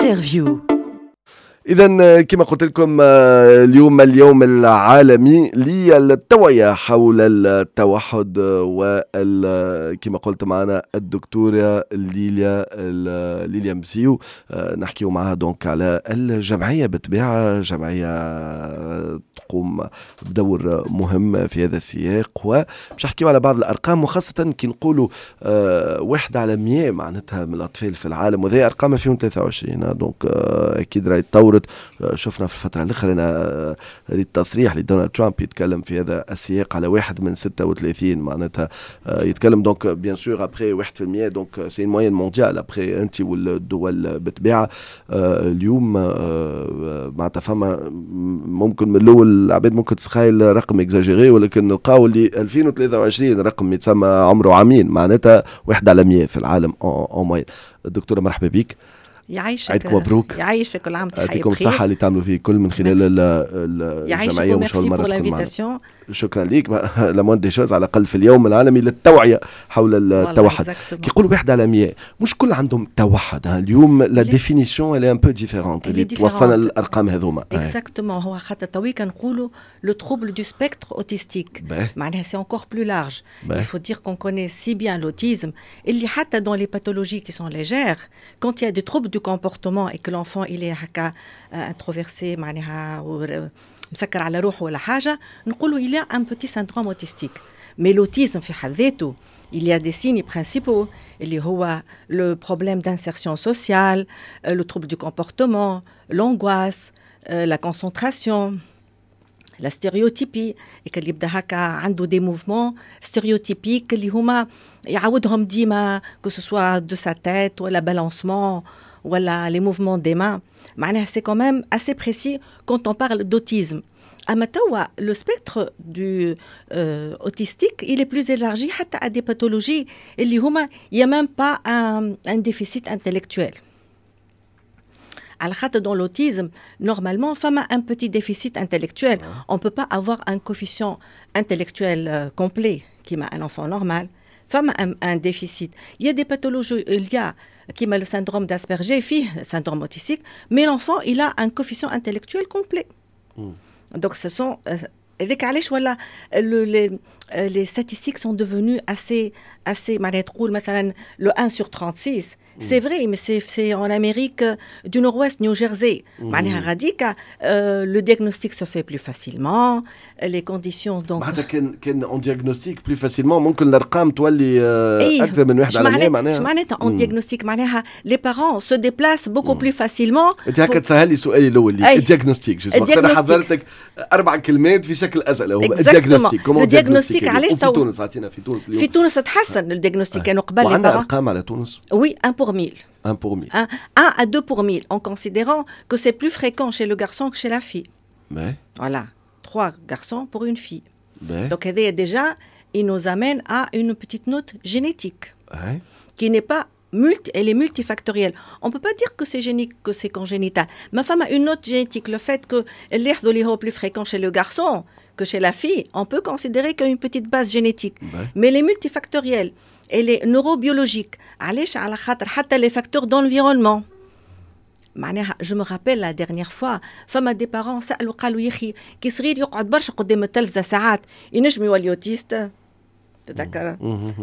Interview. إذا كما قلت لكم، اليوم اليوم العالمي للتوعية حول التوحد، وكما قلت معنا الدكتورة ليليا مسيو، نحكيو معها donc على الجمعية. بالطبيعة جمعية تقوم بدور مهم في هذا السياق، وباش نحكيو على بعض الأرقام، وخاصة كي نقولوا 1 على 100 معناتها من الأطفال في العالم، وهذه أرقام 2023، donc أكيد راهي تطورت. شفنا في الفترة الأخرى، أنا ريت تصريح لدونالد ترامب يتكلم في هذا السياق على 1 من 36 معناتها يتكلم. donc bien sûr après 1%، donc c'est moyenne mondiale، après انت والدول بالطبيعة. اليوم معناتها فما ممكن من الاول العباد ممكن تسخايل رقم exagéré، ولكن نلقاو اللي 2023 رقم يتسمى عمره عامين، معناتها 1 على 100 في العالم en moyenne. الدكتورة، مرحبا بك. يعيشك. عيدكم مبروك. يعيشك، كل عام. يعطيكم الصحة اللي تعملوا فيه كل من خلال الجمعية، ومش أول مرة تكون معنا. شكرا ليك. la moindre des choses، على الأقل في اليوم العالمي للتوعية حول التوحد. كي يقولوا 1 على 100، مش كل عندهم توحد. اليوم la définition elle est un peu différente اللي توصلنا للأرقام هذوما. exactement، هو خاطر تويكا نقولوا le trouble du spectre autistique، معناها c'est encore plus large. il faut dire qu'on connaît si bien l'autisme اللي حتى dans les pathologies qui sont légères، quand il y a des troubles du comportement et que l'enfant il est هكا introversé، معناها مسكر على روحه ولا حاجه، نقولوا il a un petit syndrome autistique. mais l'autisme في حد ذاته il y a des signes principaux اللي هو le problème d'insertion sociale، le trouble du comportement، l'angoisse، la concentration، la stéréotypie، اللي يبدا هكا عنده des mouvements stéréotypiques اللي هما يعاودهم ديما، que ce soit de sa tête ولا balancement ولا les mouvements des mains. معناها c'est quand même assez précis quand on parle d'autisme. اما توا le spectre du autistique il est plus élargi حتى à des pathologies اللي هما il y a même pas un déficit intellectuel، على خاطر dans l'autisme normalement فما un petit déficit intellectuel، on peut pas avoir un coefficient intellectuel complet كيما un enfant normal، فما un déficit. il y a des pathologies، il y a كيما le syndrome d'Asperger فيه syndrome autistique، mais l'enfant il a un coefficient intellectuel complet. Donc ce sont هذاك علاش ولا les statistiques sont devenues assez assez معناها تقول مثلا le 1 sur 36، c'est vrai، mais c'est en Amérique du Nord-Ouest، New Jersey. معناها غاديكا le diagnostic se fait plus facilement، les conditions donc معناتها كان on diagnostique plus facilement، ممكن الارقام تولي اكثر من 1 على 100 معناها. اش معناتها on diagnostique؟ معناها les parents se déplacent beaucoup plus facilement. انت هكا تسهل لي سؤالي الاول، ال diagnostic. انا حضرتك اربع كلمات في شكل اسئله، هو ال diagnostic، comment ال diagnostic علاش في تونس؟ عطينا في تونس اليوم. في تونس تحسن ال diagnostic، كانوا قبل وعندنا ارقام على تونس؟ oui، 1 pour 1000. 1 pour 1000. 1 à 2 pour 1000، en considérant que c'est plus fréquent chez le garçon que chez la fille. Mais Voilà, 3 garçons pour une fille. Mais Donc déjà, il nous amène à une petite note génétique qui n'est pas multi, elle est multifactorielle. On ne peut pas dire que c'est génique, que c'est congénital. Mais enfin, une note génétique, le fait que اللي هو plus fréquent chez le garçon que chez la fille, on peut considérer qu'il y a une petite base génétique. Mais elle est multifactorielle. Elle est neurobiologique. علاش؟ على خاطر حتى les facteurs d'environnement. معناها je me rappelle la dernière fois فما des parents سالوا، قالوا: يا اخي كي صغير يقعد برشا قدام التلفزه ساعات، ينجم يولي autiste؟ تذكر؟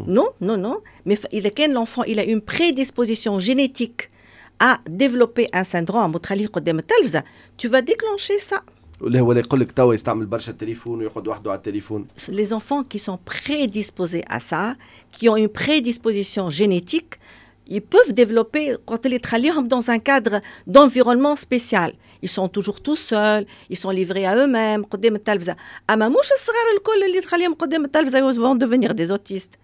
non non non، mais اذا كان l'enfant il a une prédisposition génétique à développer un syndrome وتخليه قدام التلفزه، tu vas déclencher ça. ولا هو يقول لك توا يستعمل برشا التليفون ويقعد وحده على التليفون. Les enfants qui sont prédisposés à ça، qui ont une prédisposition génétique، ils peuvent développer quand ils تخليهم dans un cadre d'environnement spécial. Ils sont toujours tout seuls، ils sont livrés à eux-mêmes قدام التلفزة. أما مش الصغار الكل اللي تخليهم قدام التلفزة vont devenir des autistes.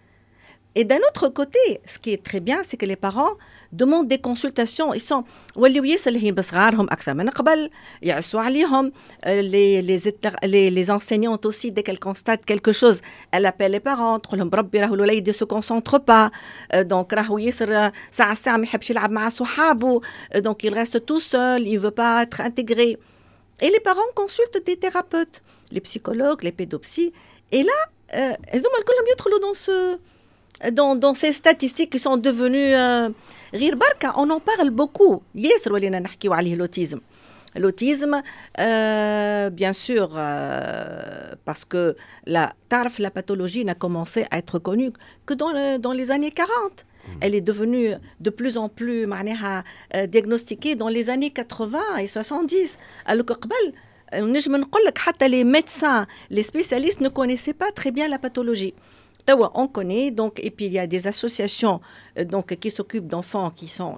Et d'un autre côté، ce qui est très bien، c'est que les parents demandent des consultations. Ils sont ولاو ياسر لاهين بصغارهم أكثر من قبل، يعسوا عليهم. Les enseignantes aussi، dès qu'elles constatent quelque chose، elles appellent les parents، تقول لهم: بربي راهو الوليد se concentre pas، donc راهو ياسر ساعة ساعة ما يحبش يلعب مع صحابه، donc il reste tout seul، il veut pas être intégré. Et les parents consultent des thérapeutes، les psychologues، les pédopsy. Et là، هذوما كلهم يدخلوا dans ce dans ces statistiques qui sont devenues غير بركة on en parle beaucoup ياسر ولينا نحكيو عليه l'autisme. L'autisme, bien sûr, parce que la pathologie n'a commencé à être connue que dans les années 40. Elle est devenue de plus en plus معناها diagnostiquée dans les années 80 et 70. Alors que قبل نجم نقول لك حتى les médecins, les spécialistes ne connaissaient pas très bien la pathologie. توا on connaît donc, et puis il y a des associations donc qui s'occupent d'enfants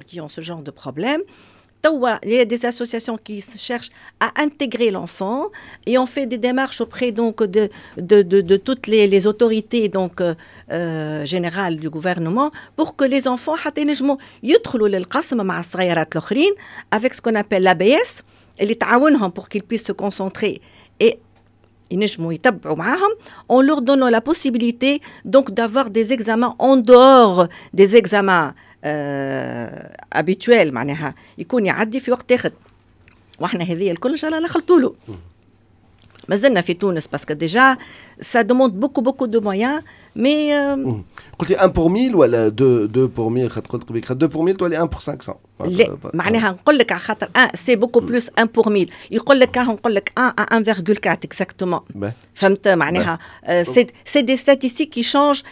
qui ont ce genre de problème. توا il y a des associations qui cherchent à intégrer l'enfant et on fait des démarches auprès donc de toutes les autorités donc générales du gouvernement pour que les enfants حتى ينجموا يدخلوا للقسم مع الصغيرات الاخرين avec ce qu'on appelle l'ABS اللي تعاونهم pour qu'ils puissent se concentrer et ينجموا يتبعوا معاهم en leur donnant la possibilité donc d'avoir des examens en dehors des examens habituels, معناها يكون يعدي في وقت اخر. واحنا هذه الكل ان شاء الله نخلطوا له. مازلنا في تونس parce que déjà ça demande beaucoup beaucoup de moyens, mais قلتي 1 pour 1000 ولا 2 pour 1000؟ خاطر قلت قبيل 2 pour 1000 تولي 1 pour 500. لا، معناها نقول لك على خاطر 1 c'est beaucoup plus 1 pour 1000 يقول لك نقول لك 1 à 1,4 exactement. فهمت؟ معناها c'est des statistiques qui changent,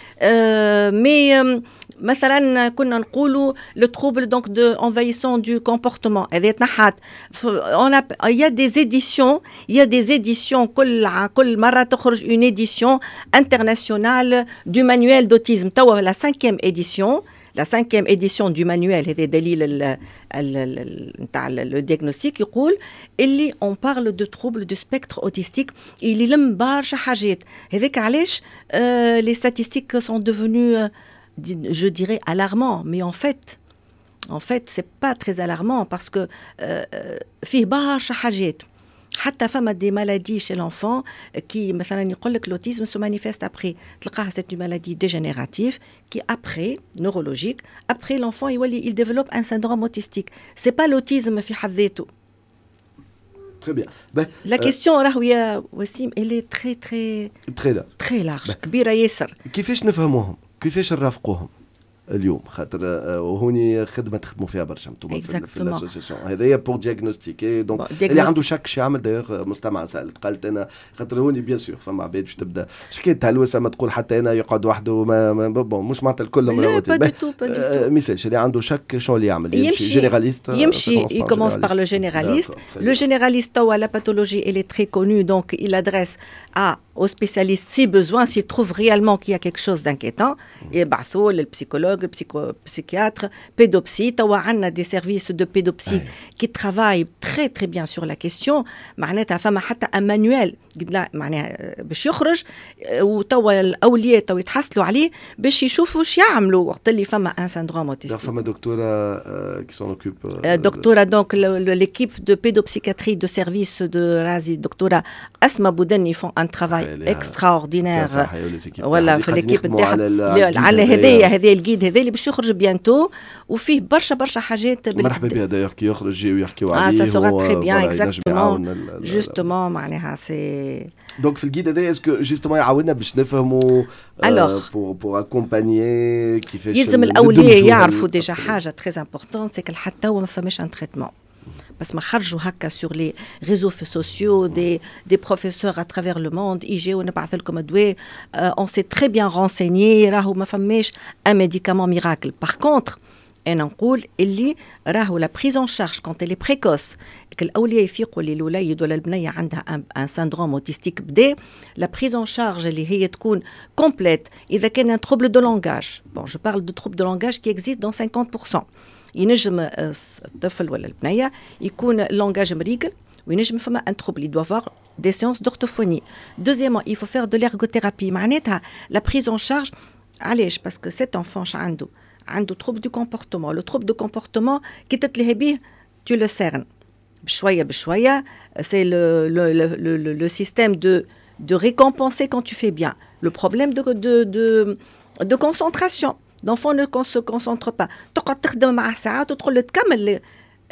mais مثلا كنا نقولوا le trouble donc de envahissant du comportement هذه تنحات. On a il y a des éditions, il y a des éditions, كل مره تخرج une édition internationale du manuel d'autisme. توا la cinquième édition, la cinquième édition du manuel هذا دليل نتاع le diagnostic يقول اللي on parle de trouble du spectre autistique اللي يلم برشا حاجات. هذاك علاش les statistiques sont devenues, je dirais, alarmants, mais en fait c'est pas très alarmant parce que فيه برشا حاجات. حتى فما des maladies chez l'enfant qui مثلا يقول لك l'autisme se manifeste après تلقاها c'est une maladie dégénérative qui après neurologique, après l'enfant يولي il développe un syndrome autistique. C'est pas l'autisme في حد ذاته. Très bien. Ben, la question راهو يا وسيم elle est très très très large. Très large, كبيرة ياسر. كيفاش نفهموهم؟ كيفاش نرافقوهم اليوم؟ خاطر وهوني خدمه تخدموا فيها برشا انتم في l'association هذايا pour diagnostiquer. Donc اللي عنده شك شي يعمل؟ D'ailleurs مستمع سالت قالت انا خاطر هوني bien sûr فما عباد باش تبدا شكيت تهلوسه ما تقول حتى انا يقعد وحده ما bon مش معناتها الكل. لا, pas du tout, pas du tout. ميسالش اللي عنده شك شنو اللي يعمل؟ يمشي généraliste. يمشي, il commence par le généraliste. Le généraliste توا la pathologie, elle est très connue, donc il adresse à au spécialiste si besoin, s'il trouve réellement qu'il y a quelque chose d'inquiétant. يبعثوا لل psychologue, psychiatre, pédopsy. توا عندنا des services de pédopsy qui travaillent très très bien sur la question. معناتها فما حتى un manuel معناها باش يخرج وتوا الاولياء تو يتحصلوا عليه باش يشوفوا ايش يعملوا وقت اللي فما un syndrome autistique. فما دكتوره qui s'en occupe. دكتوره donc l'équipe de pédopsychiatrie de service de Razi, دكتوره اسماء بودني, font un travail extraordinaire. ولا في l'équipe نتاعها على هذايا هذا ال guide هذا اللي باش يخرج bientôt وفيه برشا برشا حاجات. مرحبا بها d'ailleurs كي يخرج ويحكيو عليه. اه, ça sera très bien, exactement, justement معناها c'est Donc في ال guide هذا est-ce que justement يعاوننا باش نفهموا pour accompagner كيفاش؟ يلزم الاولياء يعرفوا déjà حاجه très importante, c'est حتى توا ما فماش un traitement. بس ما خرجوا هكا sur les réseaux sociaux des professeurs à travers le monde يجيو نبعث لكم دواء. On s'est très bien renseigné, راهو ما فماش un médicament miracle. Par contre انا نقول اللي راهو la prise en charge, quand elle est précoce, الاولياء يفيقوا اللي الوليد ولا البنيه عندها un syndrome autistique بدا la prise en charge اللي هي تكون complète. اذا كان un trouble de langage, bon, je parle de trouble de langage qui existe dans 50%, ينجم الطفل ولا البنيه يكون langage مريقل وينجم فما un trouble, il doit avoir des séances d'orthophonie. Deuxièmement, il faut faire de l'ergothérapie. معناتها la prise en charge. علاش؟ Parce que cet enfant عنده trouble du comportement. Le trouble de comportement كي تتلهي به tu le cernes بشويه بشويه. C'est le système de récompenser quand tu fais bien. Le problème de concentration, l'enfant ne se concentre pas. تقعد تخدم معاه ساعات وتقول له تكمل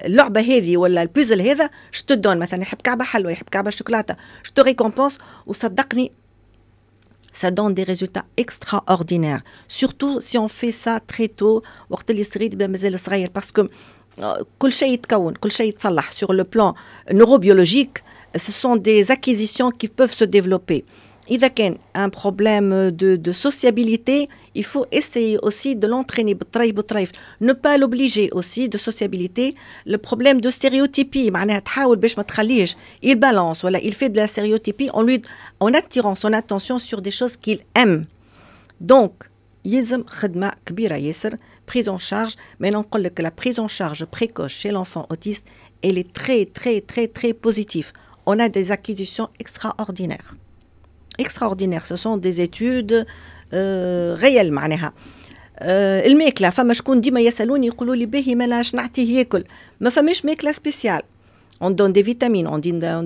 اللعبه هذه ولا البوزل هذا je te donne مثلا يحب كعبه حلوه يحب كعبه شوكولاته, je te récompense. وصدقني Ça donne des résultats extraordinaires, surtout si on fait ça très tôt, وقت اللي الصغير يبدا مازال صغير, parce que كل شيء يتكون, كل شيء يتصلح. Sur le plan neurobiologique, ce sont des acquisitions qui peuvent se développer. إذا كان un problème de sociabilité, il faut essayer aussi de l'entraîner بالطريف بالطريف, ne pas l'obliger aussi de sociabilité. Le problème de stéréotypie, معناها تحاول باش ما تخليش il balance ولا il fait de la stéréotypie en attirant son attention sur des choses qu'il aime. Donc يلزم خدمة كبيرة ياسر, prise en charge. Mais نقول لك, la prise en charge précoce chez l'enfant autiste, elle est très très très très positive. On a des acquisitions extraordinaires, extraordinaires. Ce sont des études réelles. معناها الماكله, فما شكون ديما يسالوني يقولوا لي باهي مالا نعطيه ياكل؟ ما فماش ماكله spéciale. On donne des vitamines, on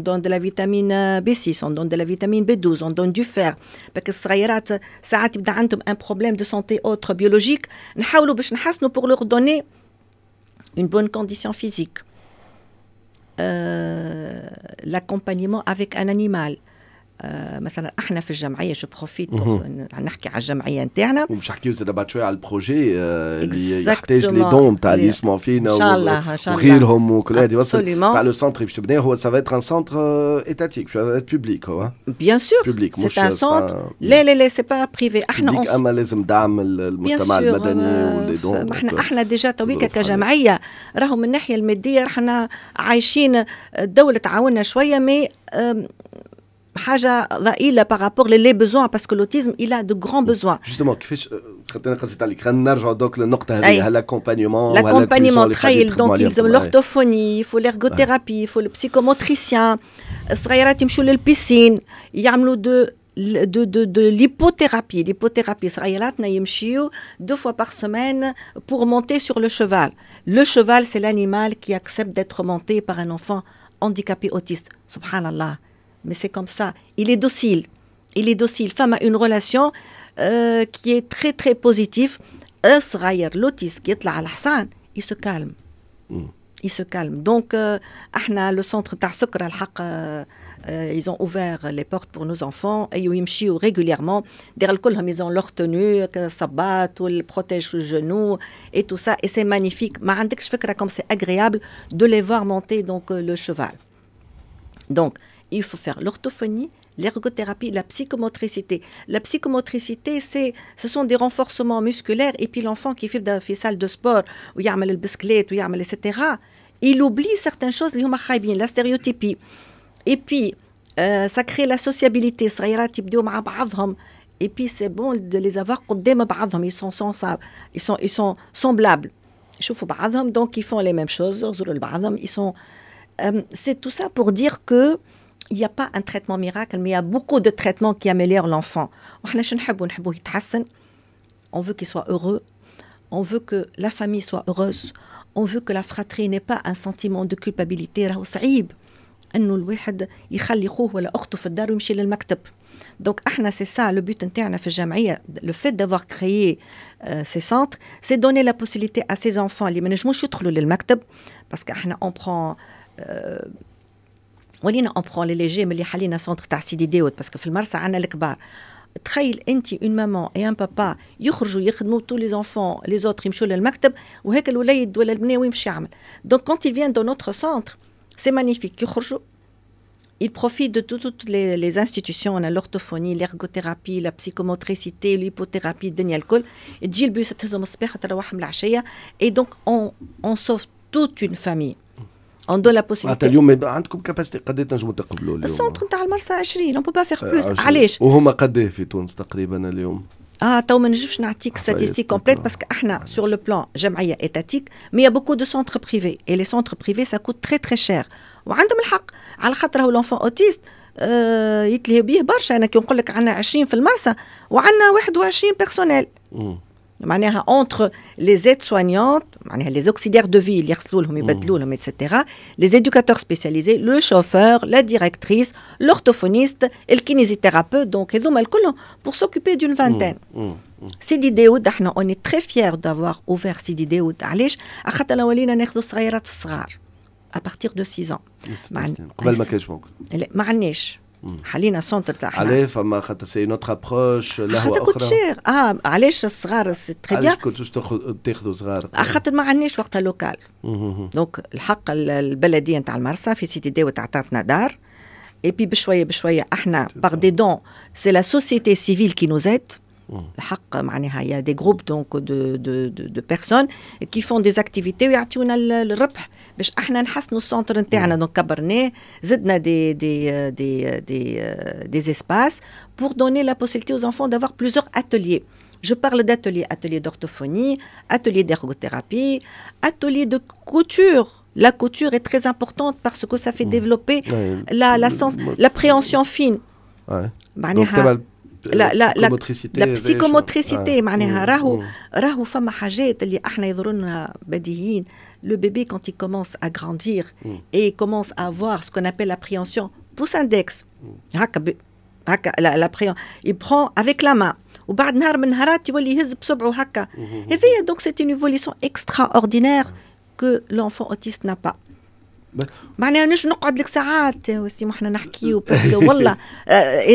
donne de la vitamine B6, on donne de la vitamine B12, on donne du fer. Parce que الصغيرات ساعات يبدا عندهم un problème de santé autre biologique, نحاولوا باش نحسنوا pour leur donner une bonne condition physique. L'accompagnement avec un animal. مثلا احنا في الجمعيه, je profite نحكي على الجمعيه نتاعنا. ومش نحكيو زاد بعد شويه على ال projet اللي يحتاج les dons تاع اللي يسمعوا فينا. ان شاء الله, ان شاء الله, وغيرهم وكل هذه. وصل تاع le centre باش تبنيه, هو ça va être un centre étatique, public هو. Bien sûr, public, c'est un centre. لا لا لا, c'est pas privé. احنا اما لازم دعم المجتمع المدني و les dons. احنا déjà تويكا كجمعيه راهو من الناحيه الماديه راحنا عايشين, الدوله تعاوننا شويه, mais حاجه ضئيله par rapport les besoins, parce que l'autisme, il a de grands besoins. Justement, كيفاش خاطر قصيت عليك, خلينا نرجعوا donc للنقطه هذه, l'accompagnement. L'accompagnement, تخيل, donc يلزم l'orthophonie, il faut l'ergothérapie, il faut le psychomotricien. الصغيرات يمشوا لل piscine, يعملوا de l'hippothérapie. L'hippothérapie, صغيراتنا يمشيو deux fois par semaine pour monter sur le cheval. Le cheval, c'est l'animal qui accepte d'être monté par un enfant handicapé autiste. سبحان الله. Mais c'est comme ça. Il est docile. Il est docile. فما une relation qui est très très positive. الصغير l'autiste كي يطلع على الحصان, il se calme. Il se calme. Donc, احنا le centre تاع سكر الحق ils ont ouvert les portes pour nos enfants et يمشيو régulièrement. دير كلهم ils ont leur tenue, الصباط وال protège-genou et tout ça, et c'est magnifique. ما عندكش فكرة comme c'est agréable de les voir monter donc le cheval. Donc il faut faire l'orthophonie, l'ergothérapie, la psychomotricité. La psychomotricité, ce sont des renforcements musculaires et puis l'enfant qui fait في salle de sport ويعمل البسكليت ويعمل etc. Il oublie certaines choses اللي هما خايبين, la stéréotypie. Et puis ça crée la sociabilité, الصغيرات يبداو مع بعضهم, et puis c'est bon de les avoir قدام بعضهم, ils sont semblables. يشوفوا بعضهم, donc ils font les mêmes choses, يغزروا لبعضهم, ils sont c'est tout ça pour dire que il n'y a pas un traitement miracle, mais il y a beaucoup de traitements qui améliorent l'enfant. On veut qu'il soit heureux, on veut que la famille soit heureuse, on veut que la fratrie n'ait pas un sentiment de culpabilité. راهو صعيب انه الواحد يخلي خوه ولا اخته في الدار ويمشي للمكتب. Donc احنا, c'est ça le but نتاعنا في الجمعيه, le fait d'avoir créé ces centres, c'est donner la possibilité à ces enfants اللي ما نجموش يدخلوا للمكتب, parce que احنا on prend ولينا on prend les légers ملي حلينا centre تاع سيدي داود, parce que في المرسى عندنا الكبار. تخيل انت une maman et un papa يخرجوا يخدموا, tous les enfants, les autres يمشوا للمكتب, وهيك الوليد ولا البنيه وين يمشي يعمل؟ Donc quand ils viennent dans notre centre, c'est magnifique, يخرجوا, ils profitent de toutes les institutions. On a l'orthophonie, l'ergothérapie, la psychomotricité, l'hippothérapie, الدنيا الكل. تجي البيوس تهزهم الصباح وتروحهم العشية, et donc on sauve toute une famille. On donne la possibilité. اليوم عندكم capacité قد تنجموا تقبلوا اليوم؟ ال centre نتاع المرسى 20, on peut pas faire plus. علاش؟ وهما قد في تونس تقريبا اليوم؟ اه تو ما نجمش نعطيك statistiques complètes, parce que احنا sur le plan جمعيه étatique, mais y a beaucoup de centres privés, et les centres privés, ça coûte très très cher. وعندهم الحق على خاطر هو l'enfant autiste يتلهي بيه برشا. انا كي نقول لك عندنا 20 في المرسى وعندنا 21 personnel, معناها entre les aides-soignantes, معناها les auxiliaires de vie اللي يغسلوا لهم يبدلوا لهم et cetera, les éducateurs spécialisés, le chauffeur, la directrice, l'orthophoniste, ال kinésithérapeute, donc هذوما الكل pour s'occuper d'une vingtaine. سيدي داود, احنا on est très fiers d'avoir ouvert سيدي داود. علاش؟ خاطر ولينا ناخذوا الصغيرات الصغار à partir de 6 ans. قبل ما كانش موجود. لا, ما عندناش. حلينا centre تاع علاه؟ فما خاطر c'est une autre approche؟ لهوه اخرى، خاطر cher. علاش الصغار؟ c'est très bien. علاش كنتوش تاخذوا صغار؟ خاطر ما عندناش وقتها local. donc الحق البلدية نتاع المرسى في سيدي داود عطاتنا دار، et puis بشوية بشوية احنا par des dons، c'est la société civile qui nous aide. الحق معناها y a des groupes donc de personnes qui font des activités ويعطيونا الربح باش احنا نحسنوا ال centre نتاعنا. donc كبرناه، زدنا des espaces pour donner la possibilité aux enfants d'avoir plusieurs ateliers. Je parle d'ateliers, ateliers d'orthophonie, ateliers d'ergothérapie, ateliers de couture. La couture est très importante parce que ça fait développer la sens, l'appréhension fine. معناها la la psychomotricité. معناها راهو فما حاجات اللي احنا يظهروا بديهيين. le bébé quand il commence à grandir et commence à avoir ce qu'on appelle l'appréhension pouce index، هكا هكا l'appréhension، il prend avec la main، وبعد نهار من نهارات يولي يهز بصبعه هكا. هذه donc c'est une évolution extraordinaire que l'enfant autiste n'a pas. معناها نجم نقعد لك ساعات وسيم احنا نحكيو، parce que والله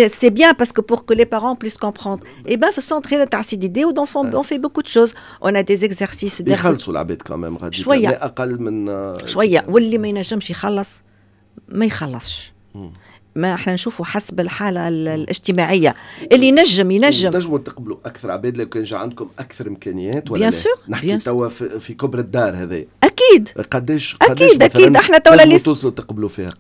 c'est bien، parce que pour que les parents puissent comprendre. et ben في ال centre هذا تاع سيدي داود on fait beaucoup de choses، on a des exercices. يخلصوا العباد quand même غادي؟ شويه. اقل من شويه، واللي ما ينجمش يخلص ما يخلصش. ما احنا نشوفوا حسب الحالة الاجتماعيه، اللي ينجم ينجم. تنجموا تقبلوا اكثر عباد لو كان جا عندكم اكثر امكانيات ولا bien sûr. نحكي توا في كبر الدار هذا. اكيد. قداش؟ اكيد اكيد، احنا توا اللي توصلوا تقبلوا فيها؟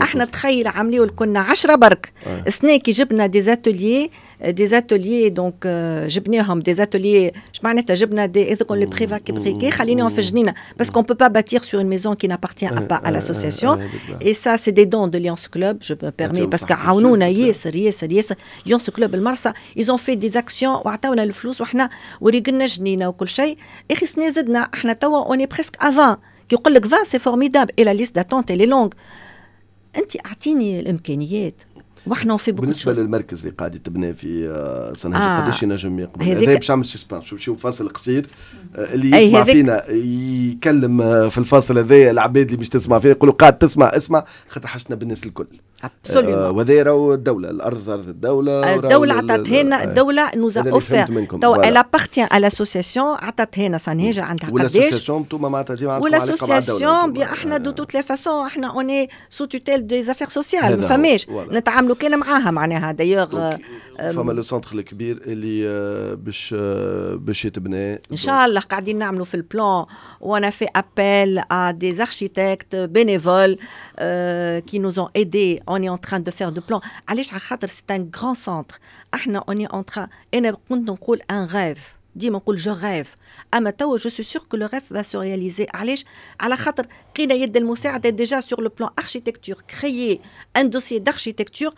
احنا تخيل عمليو كنا 10 برك. السنة كي جبنا des ateliers donc جبناهم des ateliers، اش معناتها؟ جبنا des هذوك les préfabriqués، خليناهم في جنينه، parce qu'on peut pas bâtir sur une maison qui n'appartient pas à l'association. et ça c'est des dons de Lions Club، je me permets، parce que عاونونا ياسر ياسر ياسر Lions Club المرسى. ils ont fait des actions وعطاونا الفلوس وحنا وريقلنا جنينة وكل شيء. اخي سنة زدنا، احنا توا on est presque à 20. كي يقول لك 20 c'est formidable et la liste d'attente elle est longue. انت اعطيني الامكانيات واحنا في بالنسبة للمركز اللي قاعد يتبنى في صنهاجة، قداش ينجم يقبل؟ هذا باش نعمل suspense، نمشيو فاصل قصير. اللي يسمع فينا يكلم في الفاصل هذا العباد اللي مش تسمع فينا، يقولوا قاعد تسمع، اسمع، خاطر حاجتنا بالناس الكل. وهذا راهو الدوله، الارض ارض الدوله. الدولة عطاتها لنا، الدولة nous a offert. تو elle appartient à l'association، عطاتها لنا صنهاجه عندها قداش. وال association انتوما معناتها ديما عندكم علاقة مع الدوله؟ وال association bien، احنا de toutes les façons احنا on est sous tutelle des affaires sociales، ما فماش، نتعاملوا كان معاها معناها d'ailleurs. فما le centre الكبير اللي باش يتبنى. ان شاء الله قاعدين نعملوا في ال plan، on a fait appel à des architectes bénévoles qui nous ont aidés. on est en train de faire de plans. علاش؟ على خاطر c'est un grand centre. احنا on est en train، انا كنت نقول un rêve، ديما نقول je rêve، اما توا je suis sûre que le rêve va se réaliser. علاش؟ على خاطر لقينا يد المساعدة déjà sur le plan architecture، créer un dossier d'architecture.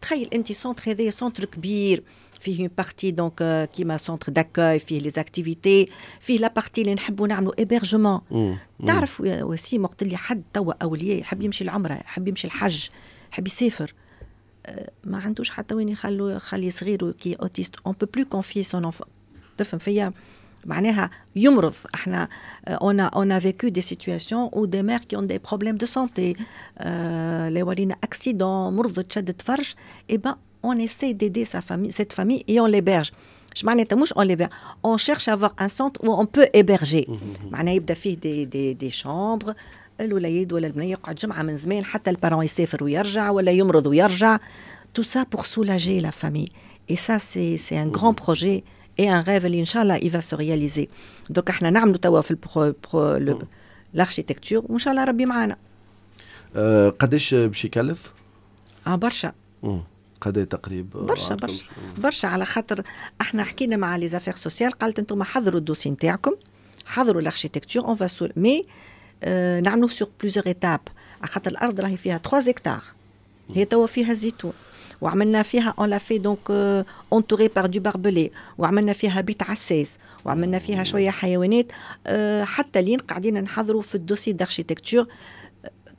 تخيل انت centre هذايا centre كبير، فيه une partie donc كيما centre d'accueil، فيه les activités، فيه la partie اللي نحبوا نعملوا hébergement. تعرف وسيم، وقت اللي حد توا اولياء يحب يمشي العمره، يحب يمشي الحج، يحب يسافر، ما عندوش حتى وين يخلو خلي صغير qui est autiste. on peut plus confier son enfant، تفهم فيا؟ معناها يمرض. احنا on a vécu des situations où des mères qui ont des problèmes de santé، اللي ولينا accident، مرضت، شدت فرش، et ben on essaie d'aider sa famille، cette famille، et on l'héberge. اش معناتها؟ مش on l'héberge، on cherche à avoir un centre où on peut héberger. معناها يبدا فيه des chambres، الوليد ولا البنية يقعد جمعه من زمان حتى ال parent يسافر ويرجع ولا يمرض ويرجع. tout ça pour soulager la famille، et ça c'est un grand projet et un rêve اللي ان شاء الله il va se réaliser. donc احنا نعملوا توا في l'architecture، وان شاء الله ربي معانا. قداش باش يكلف؟ اه برشا. قد تقريب؟ برشا برشا برشا، على خاطر احنا حكينا مع les affaires sociales، قالت انتم حضروا ال dossier نتاعكم، حضروا l'architecture، on va mais نعملوا sur plusieurs étapes، على خاطر الارض راهي فيها 3 هكتار. هي توا فيها الزيتون، وعملنا فيها on l'a fait donc entouré par du barbelé، وعملنا فيها بيت عساس، وعملنا فيها شوية حيوانات، حتى لين قاعدين نحضروا في ال dossier d'architecture.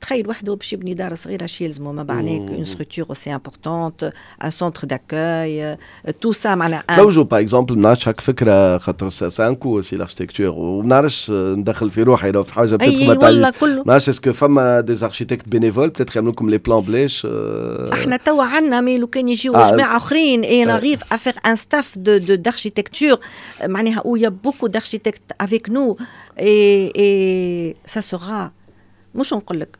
تخيل وحده باش يبني دار صغيره شي يلزمو ما معناها une structure aussi importante, un centre d'accueil, tout ça معناها. تلوجوا par exemple, ما نعرفش هاك فكره خاطر c'est un coût aussi l'architecture وما نعرفش ندخل في روحي لو في حاجه peut-être ما والله كله. ما نعرفش est-ce que فما des architectes bénévoles peut-être يعملوا لكم les plans بلاش. احنا توا عندنا, mais لو كان يجيو جماعه اخرين et on arrive à faire un staff de d'architecture معناها où il y a beaucoup d'architectes avec nous et ça sera مش نقول لك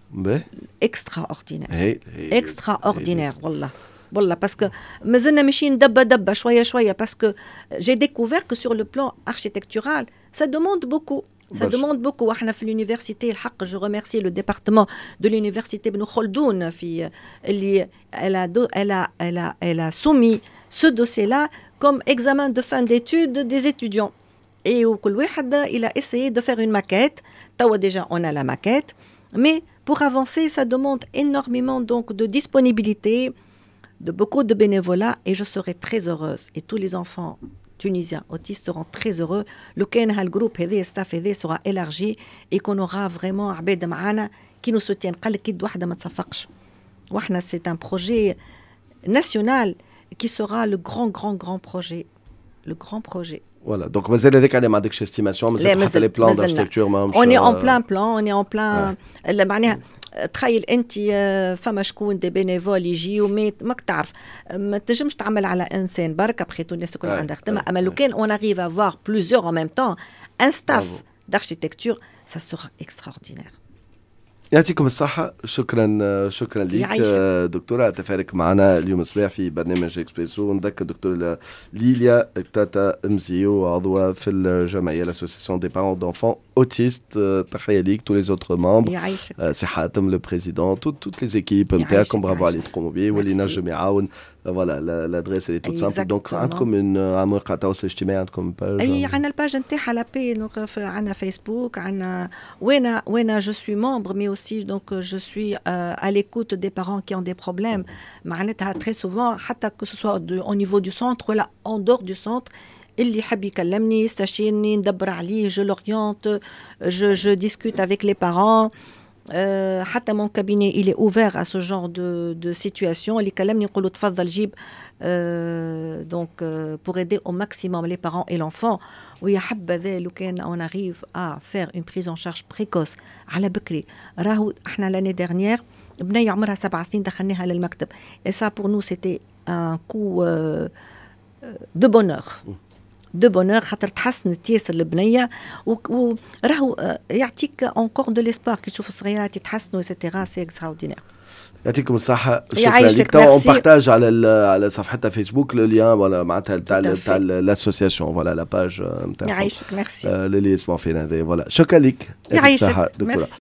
extraordinaire, extraordinaire والله والله, parce que مازلنا ماشيين دبه دبه شويه شويه, parce que j'ai découvert que sur le plan architectural, ça demande beaucoup, ça demande beaucoup. احنا في l'université الحق je remercie le département de l'université بن خلدون في اللي elle a soumis ce dossier-là comme examen de fin d'études des étudiants et وكل واحد il a essayé de faire une maquette. توا déjà on a la maquette, mais pour avancer, ça demande énormément donc de disponibilité, de beaucoup de bénévolat, et je serai très heureuse et tous les enfants tunisiens autistes seront très heureux لو كان هال groupe هذا, staff هذا sera élargi et qu'on aura vraiment عباد معانا qui nous soutiennent. قال لك يد واحده ما تصفقش واحنا c'est un projet national qui sera le grand, grand, grand projet, le grand projet. Voilà, donc مازال هذاك عليه ما عندكش estimation مازال حتى les plans d'architecture ما On est en plein plan, on est en plein معناها تخيل انت فما شكون des bénévoles يجيو, mais ماك تعرف ما تنجمش تعمل على انسان برك, après tout الناس الكل عندها خدمه, اما لو كان on arrive à avoir plusieurs en même temps, un staff d'architecture, ça sera extraordinaire. يعطيكم الصحة, شكرا شكرا لك دكتورة تفارك معنا اليوم الصباح في برنامج اكسبريسو. نذكر دكتورة ليليا تاتا مزيو عضوة في الجمعية l'association des parents d'enfants autistes. تحية ليك, tous les autres membres, سي حاتم le président, toutes les équipes نتاعكم, برافو على اللي تقوموا به واللي نجم يعاون, voilà, l'adresse, elle est toute simple. donc عندكم من مواقع التواصل الاجتماعي عندكم page؟ اي عندنا ال page نتاعها l'AP, عندنا فيسبوك عندنا وين je suis membre, mais aussi donc je suis à l'écoute des parents qui ont des problèmes. معناتها très souvent حتى que ce soit au niveau du centre ولا en dehors du centre, اللي يحب يكلمني يستشيرني ندبر عليه, je l'oriente, je discute avec les parents. حتى mon cabinet, il est ouvert à ce genre de situation. اللي يكلمني نقول له تفضل جيب, donc pour aider au maximum les parents et l'enfant. ويا حبذا لو كان on arrive à faire une prise en charge précoce على بكري. راهو احنا l'année dernière بنية عمرها 7 سنين دخلناها للمكتب et ça, pour nous, c'était un coup de bonheur, de bonheur, خاطر تحسنت ياسر البنيه وراهو يعطيك encore de l'espoir كي تشوف الصغيرات يتحسنوا et cetera, c'est extraordinaire. يعطيكم الصحة, شكرا لك. تو on partage على صفحتها فيسبوك le lien, voilà, معناتها تاع l'association, voilà, la page نتاعهم. يعيشك, ميرسي. للي يسمعوا فينا هذا, voilà, شكرا لك. يعيشك, دكتورة.